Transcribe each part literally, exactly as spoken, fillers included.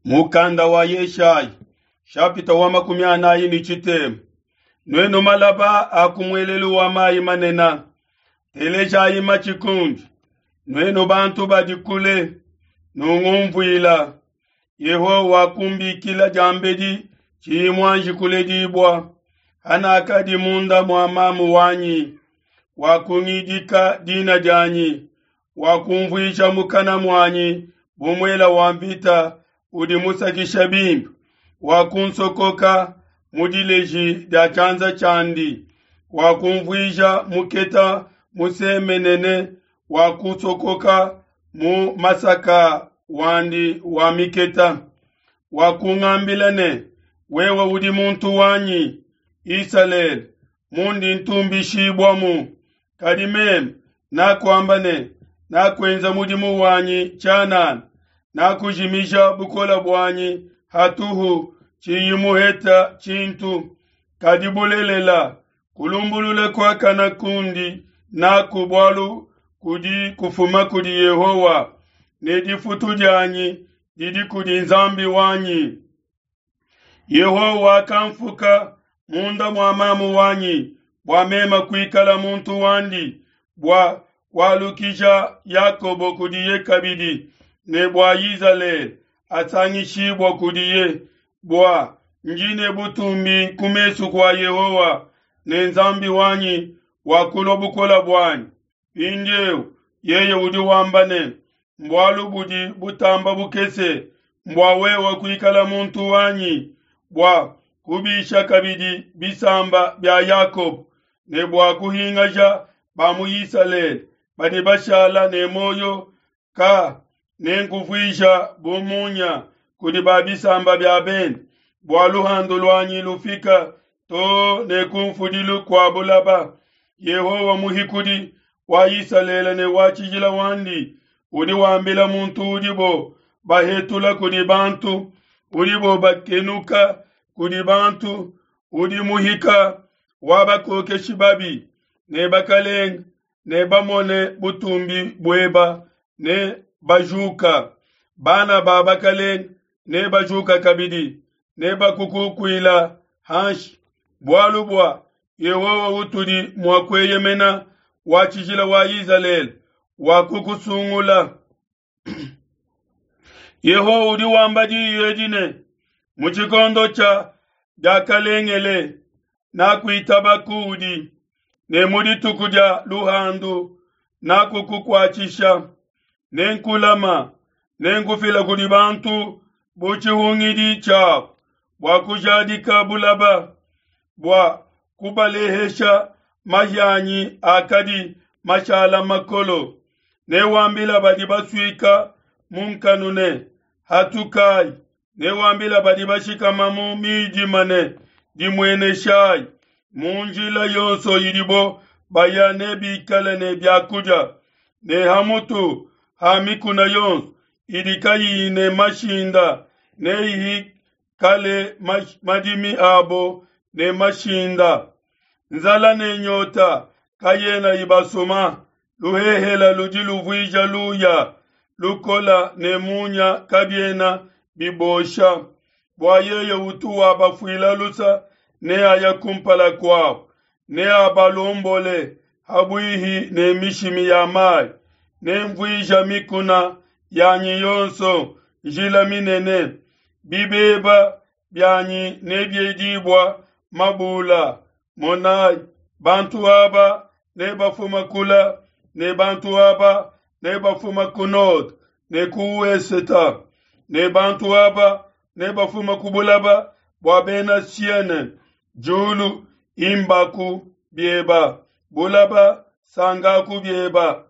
Mukanda wa Yeshayi shapita wa makumi anayi ne tshitema. Nuenu malaba a ku muelelu wa mayi manene, telejayi matshi kundi. Nuenu bantu badi kule, nungumvuila. Yehowa wakumbikila diambedi tshiyi muanji kuledibua. Hanakadi munda mua mamu wanyi, wakungidika dina dianyi, wakumvuija mukana muanyi bu muela wa mvita udi musakisha bimpe, wakunsokoka mu dileji dia tshianza tshiandi, wakumvuija muketa musemenene, wakusokoka mu masaka wandi wa miketa. Wakungambila ne, wewe udi muntu wanyi, Isalele, mundi ntumbishibuamu. Kadi meme nakuamba ne, nakuenza mudimu wanyi tshianana, nakujimija bukole buanyi hatuhu, tshiyi muheta tshintu. Kadi bulelela, kulumbulula kuakana kundi naku bualu kudi kufuma kudi Yehowa, ne difutu dianyi didi kudi Nzambi wanyi. Yehowa wakamfuka munda mua mamu wanyi bua meme kuikala muntu wandi, bua kualukija Yakobo kudiye kabidi, ne bua Izalele asangishibua kudiye, bua njine butumbi ku mesu kua Yehowa, ne Nzambi wanyi wakulua bukole buanyi. Mpindieu yeye udi wamba ne, mbualu budi butamba bukese mbua wewe kuikala muntu wanyi, bua kubisha kabidi bisamba bia Yakobo, ne bua kuhingaja ba mu Isalele badi bashala ne muoyo, ka nenkuvuija bu munya kudi ba bisamba bia bende, bua luhandu luanyi lufika to ne kumfudilu kua bulaba. Yehowa muhikudi wa Isalele ne wa tshijila wandi udi wambila muntu udibo bahetula kudi bantu, udibo bakenuka kudi bantu, udi muhika wa bakokeshi babi ne bakalenga, ne bamone butumbi bueba ne bajuka. Bana ba bakalenga ne bajuka kabidi, ne bakukukuila hanshi, bualu bua Yehowa utudi mua kueyemena, wa tshijila wa Isalele wakukusungula. Yehowa udi wamba diyi edi ne, mu tshikondo tshia diakalengele nakuitaba kuudi, ne mu dituku dia luhandu nakukukuatshisha, nenkulama, nenkufila kudi bantu bu tshihungidi tshiabu, bua kujadika bulaba, bua kubalehesha mahianyi akadi mashala makolo. Newambila badi basuika mu nkanu ne, hatukai. Newambila badi bashikama mu midima ne, dimueneshai. Mu njila yonso idibo baya nebikale ne biakudia, ne hamutu ha mikuna yonso idi kayiyi ne mashinda neyikale madimi abo ne mashinda. Nzala ne nyota kayena ibasuma, luhehela ludi luvuija luya lukola ne munya kabiena bibosha. Bua yeye utu wabafuila lusa neaya kumpala kuabo, neabalombole habuihi ne mishimi ya mayi. Nemvuija mikuna yanyi yonso njila minene, bibeba bianyi nebiedibua mabula. Monai, bantu aba nebafuma kula, ne bantu aba nebafuma ku nord ne ku weseta, ne bantu aba nebafuma ku bulaba bua bena Siene. Julu imbaku bieba, bulaba sangaku bieba.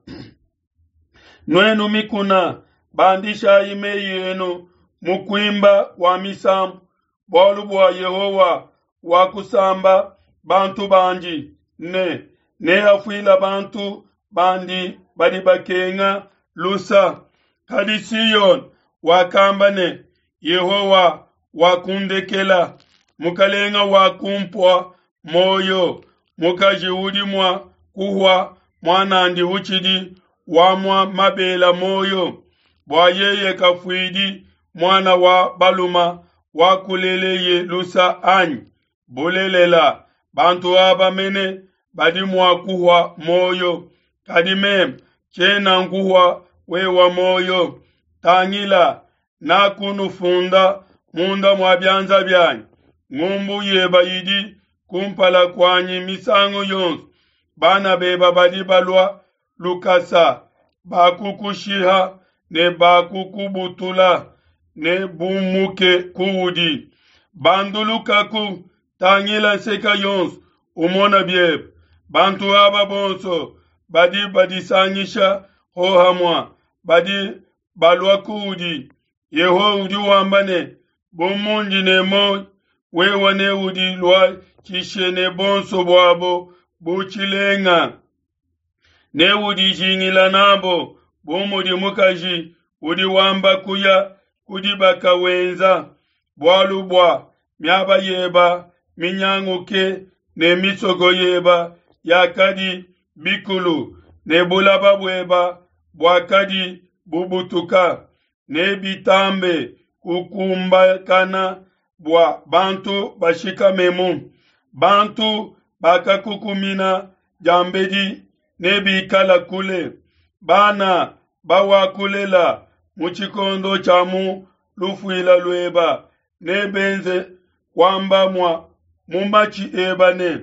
Nuenu mikuna, bandishayi meyi enu mu kuimba kwa misambu, bualu bua Yehowa wakusamba bantu bandi, ne neafuila bantu bandi badi bakenga lusa. Kadi Siyon wakamba ne, Yehowa wakundekela, mukalenga wakumpua moyo. Mukaji udi mua kuhua muanandi utshidi wamua mabela moyo, bua yeye kafuidi muana wa baluma wakuleleye lusa anyi? Bulelela, bantu aba mene badi mua kuhua muoyo, kadi meme tshiena nkuhua wewa muoyo. Tangila, nakunufunda munda mua bianza bianyi, ngumbu yeba idi kumpala kuanyi misangu yonso. Bana beba badi balua lukasa, bakukushiha ne bakukubutula ne bumuke kuudi. Bandulukaku, tangila nseka yonso, umona biebe. Bantu aba bonso badi badisangisha hohamue, badi balua kuudi. Yehowa udi wamba ne, bu mundi ne muoyo, wewe neudiluatshishe ne bonso buabo bu tshilenga, neudijingila nabo bu mudi mukaji udi wamba kuya ku dibaka wenza, bualu bua miaba yeba minyanguke ne misoko yeba yakadi bikulu ne bulaba bueba buakadi bubutuka, nebitambe kukumbakana bua bantu bashikamemu. Bantu bakakukumina diambedi nebikala kule, bana bawakulela mu tshikondo tshia mu lufuila lueba nebenze kuamba mua mu matshi eba ne,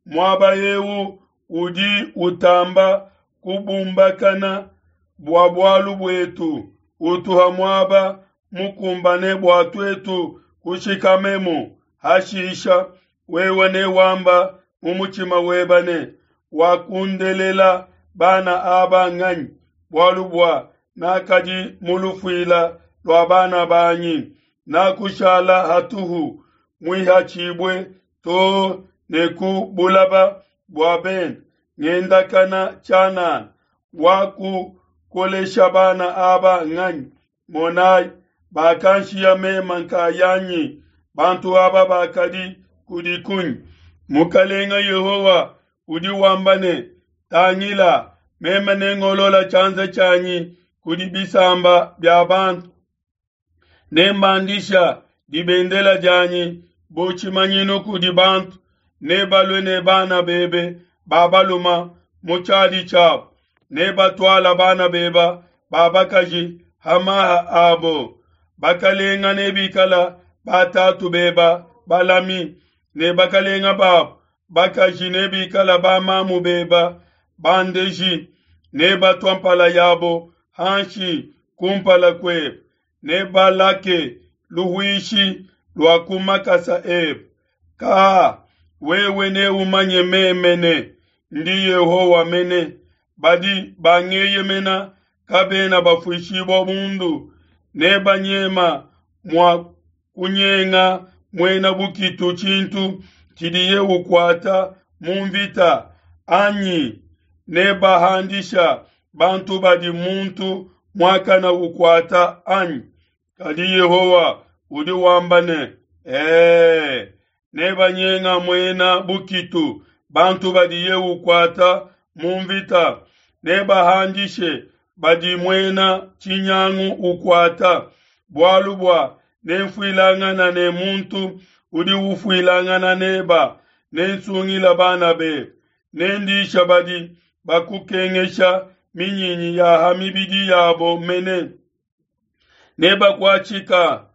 muaba eu udi utamba kubumbakana bua bualu buetu, utuha muaba mukumbane bua tuetu kushikamemu. Hashisha wewe newamba mu mutshima weba ne, wakundelela bana aba nganyi? Bualu bua nakadi mu lufuila lua bana banyi, nakushala hatuhu muihatshibue too ne ku bulaba bua bende, ngendakana tshianana. Wakukolesha bana aba nganyi? Monai, bakanshiya mema nkayanyi, bantu aba bakadi kudi kunyi? Mukalenga Yehowa udi wamba ne, tangila, meme nengolola tshianza tshianyi kudi bisamba bia bantu, nembandisha dibendela dianyi bu tshimanyinu kudi bantu, nebalue ne bana bebe ba baluma mu tshiadi tshiabo, nebatuala bana beba ba bakaji ha maha abo. Bakalenga nebikala batatu beba balami, ne bakalenga babo bakaji nebikala bamamu beba bandeji, nebatua mpala yabo hanshi kumpala kuebe, nebalake luhuishi lua ku makasa ebe. Ka wewe neumanye meme ne ndi Yehowa mene, badi bangeyemena kabena bafuishibua bundu, nebanyema mua kunyenga muena bukitu tshintu tshidiye ukuata mu mvita, anyi nebahandisha bantu badi muntu muakana ukuata anyi? Kadi Yehowa udi wamba ne, ee, nebanyenga muena bukitu bantu badiye ukuata mu mvita, nebahandishe badi muena tshinyangu ukuata, bualu bua nenfuilangana ne muntu udi ufuilangana neba, nensungila bana bebe, nendisha badi bakukengesha minyinyi ya ha mibidi yabo mene, nebakuatshika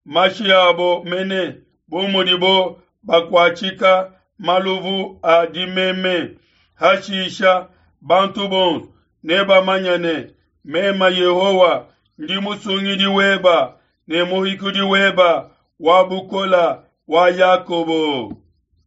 mashi abo mene bu mudibo bakuatshika maluvu a dimeme. Hashisha bantu bonso nebamanye ne, mema Yehowa ndi musungidi weba ne muhikudi weba wa bukola wa Yakobo.